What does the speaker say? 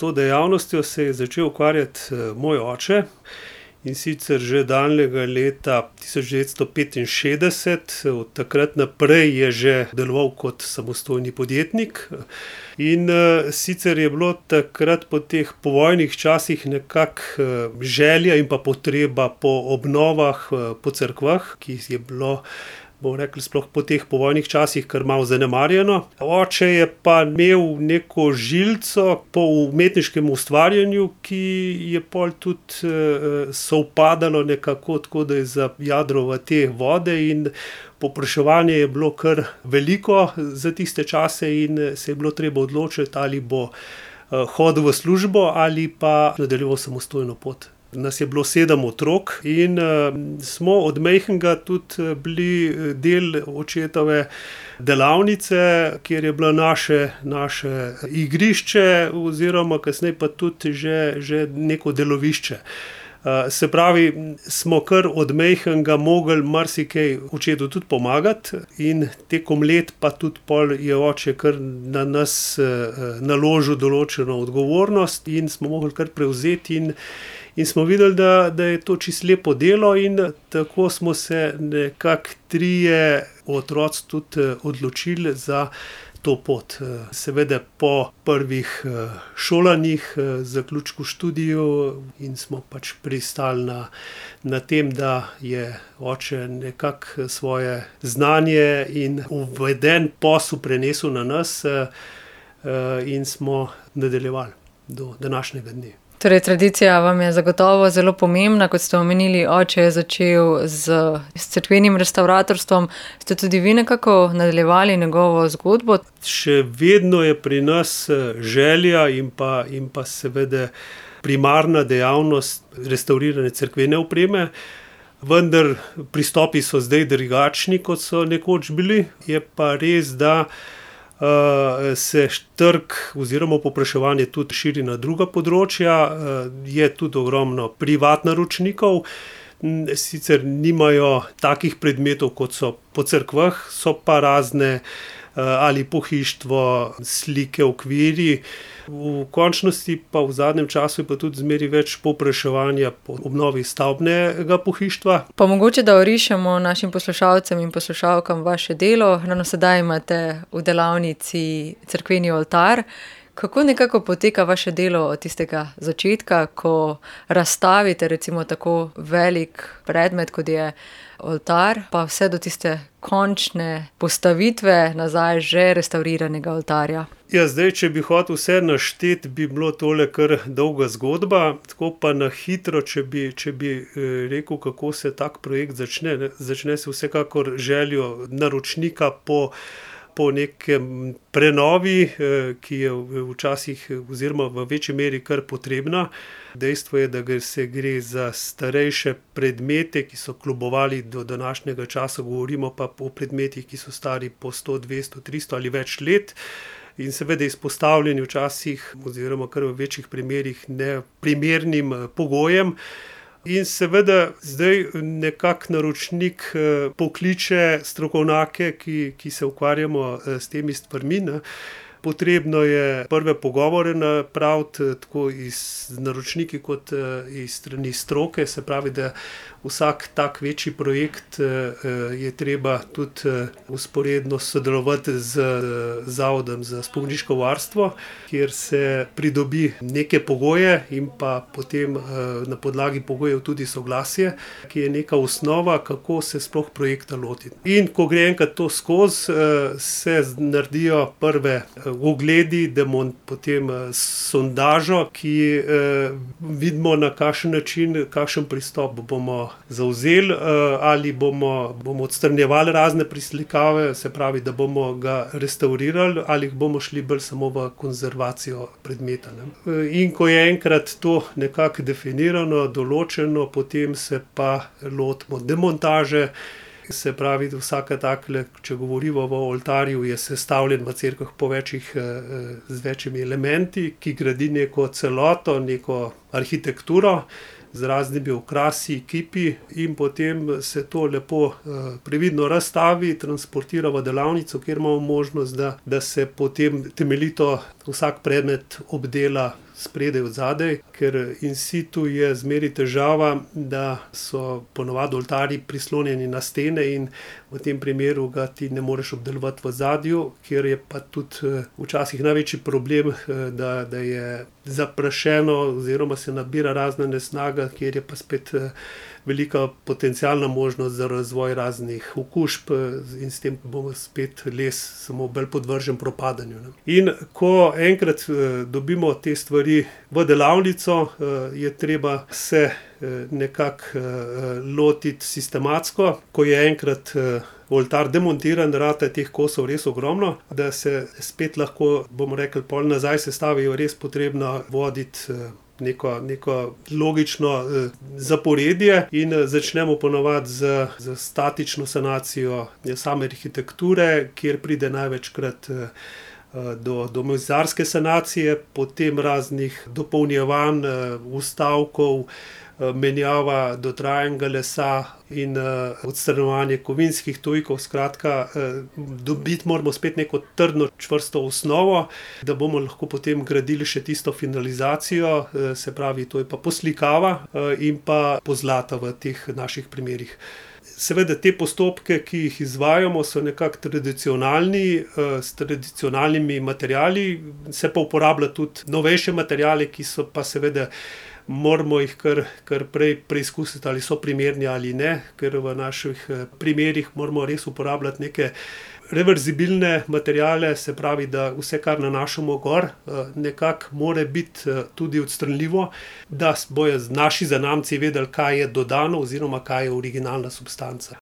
to dejavnostjo se je začel ukvarjati moj oče, in sicer že daljnega leta 1965, od takrat naprej je že deloval kot samostojni podjetnik. In sicer je bilo takrat po teh povojnih časih nekako želja in pa potreba po obnovah po cerkvah, ki je bilo, bomo rekli, sploh po teh povojnih časih kar malo zanemarjeno. Oče je pa imel neko žilico po umetniškem ustvarjanju, ki je pol tudi sovpadalo nekako tako, da je zajadral v te vode, in povpraševanje je bilo kar veliko za tiste čase in se je bilo treba odločiti, ali bo hodil v službo ali pa nadaljeval samostojno pot. Nas je bilo 7 otrok in smo od majhnega tudi bili del očetove delavnice, kjer je bilo naše igrišče oziroma kasneje pa tudi že neko delovišče. Se pravi, smo kar od majhnega mogli marsikaj očetu tudi pomagati, in tekom let pa tudi pol je oče kar na nas naložil določeno odgovornost in smo mogli kar prevzeti in smo videli, da je to čisto lepo delo, in tako smo se nekako 3 otroci tudi odločili za to pot. Seveda po prvih šolanjih, zaključku študiju, in smo pač pristali na tem, da je oče nekako svoje znanje in uveden posel prenesel na nas, in smo nadaljevali do današnjega dne. Torej, tradicija vam je zagotovo zelo pomembna, kot ste omenili, oče je začel s cerkvenim restavratorstvom. Ste tudi vi nekako nadaljevali njegovo zgodbo? Še vedno je pri nas želja in pa seveda primarna dejavnost restavrirane cerkvene opreme, vendar pristopi so zdaj drugačni, kot so nekoč bili. Je pa res, da se trg oziroma povpraševanje tudi širi na druga področja. Je tudi ogromno privatnaročnikov, sicer nimajo takih predmetov, kot so po cerkvah, so pa razne ali pohištvo, slike, okvirji. V končnosti pa v zadnjem času je pa tudi zmeraj več povpraševanja po obnovi stavbnega pohištva. Pa mogoče, da orišemo našim poslušalcem in poslušalkam vaše delo. Ravno sedaj imate v delavnici cerkveni oltar. Kako nekako poteka vaše delo od tistega začetka, ko razstavite recimo tako velik predmet, kot je oltar, pa vse do tiste končne postavitve nazaj že restavriranega oltarja? Ja, zdaj, če bi hotel vse našteti, bi bilo tole kar dolga zgodba. Tako pa na hitro, če bi rekel, kako se tak projekt začne. Začne se vsekakor željo naročnika po nekem prenovi, ki je včasih oziroma v večji meri kar potrebna. Dejstvo je, da se gre za starejše predmete, ki so klubovali do današnjega časa, govorimo pa o predmetih, ki so stari po 100, 200, 300 ali več let. In seveda izpostavljeni včasih oziroma kar v večjih primerih neprimernim pogojem. In seveda zdaj nekako naročnik pokliče strokovnjake, ki se ukvarjamo s temi stvarmi. Potrebno je prve pogovore napraviti, tako z naročniki kot iz strani stroke, se pravi, da vsak tak večji projekt je treba tudi vzporedno sodelovati z Zavodom za spomeniško varstvo, kjer se pridobi neke pogoje in pa potem na podlagi pogojev tudi soglasje, ki je neka osnova, kako se sploh projekta lotiti. In ko gre enkrat to skozi, se naredijo prve ogledi, potem sondažo, ki vidimo, na kakšen način, kakšen pristop bomo zavzeli, ali bomo odstranjevali razne preslikave, se pravi, da bomo ga restavrirali, ali bomo šli bolj samo v konzervacijo predmeta. In ko je enkrat to nekako definirano, določeno, potem se pa lotimo demontaže. Se pravi, da vsaka takle, če govorimo o oltarju, je sestavljen v cerkvah z večjimi elementi, ki gradi neko celoto, neko arhitekturo z raznimi okrasi, kipi, in potem se to lepo previdno razstavi, transportira v delavnico, kjer imamo možnost, da se potem temeljito vsak predmet obdela spredaj, odzadaj, ker in situ je zmeraj težava, da so ponavadi oltarji prislonjeni na stene in v tem primeru ga ti ne moreš obdelovati v ozadju, kjer je pa tudi včasih največji problem, da je zaprašeno oziroma se nabira razna nesnaga, kjer je pa spet velika potencialna možnost za razvoj raznih okužb in s tem bomo spet les samo bolj podvržen propadanju. In ko enkrat dobimo te stvari v delavnico, je treba se nekako lotiti sistematsko. Ko je enkrat oltar demontiran, rata je teh kosov res ogromno, da se spet lahko, bomo rekli, pol nazaj sestavijo, res potrebno voditi neko logično zaporedje in začnemo ponavadi z statično sanacijo same arhitekture, kjer pride največkrat do mizarske sanacije, potem raznih dopolnjevanj, vstavkov, menjava dotrajanega lesa in odstranjevanje kovinskih tujkov. Skratka, dobiti moramo spet neko trdno, čvrsto osnovo, da bomo lahko potem gradili še tisto finalizacijo, se pravi, to je pa poslikava in pa pozlata v teh naših primerih. Seveda te postopke, ki jih izvajamo, so nekako tradicionalni, s tradicionalnimi materiali, se pa uporablja tudi novejše materiale, ki so pa seveda, moramo jih kar prej preizkusiti, ali so primerni ali ne, ker v naših primerih moramo res uporabljati neke reverzibilne materiale, se pravi, da vse, kar nanašamo gor, nekako mora biti tudi odstranljivo, da bojo naši zanamci vedeli, kaj je dodano oziroma kaj je originalna substanca.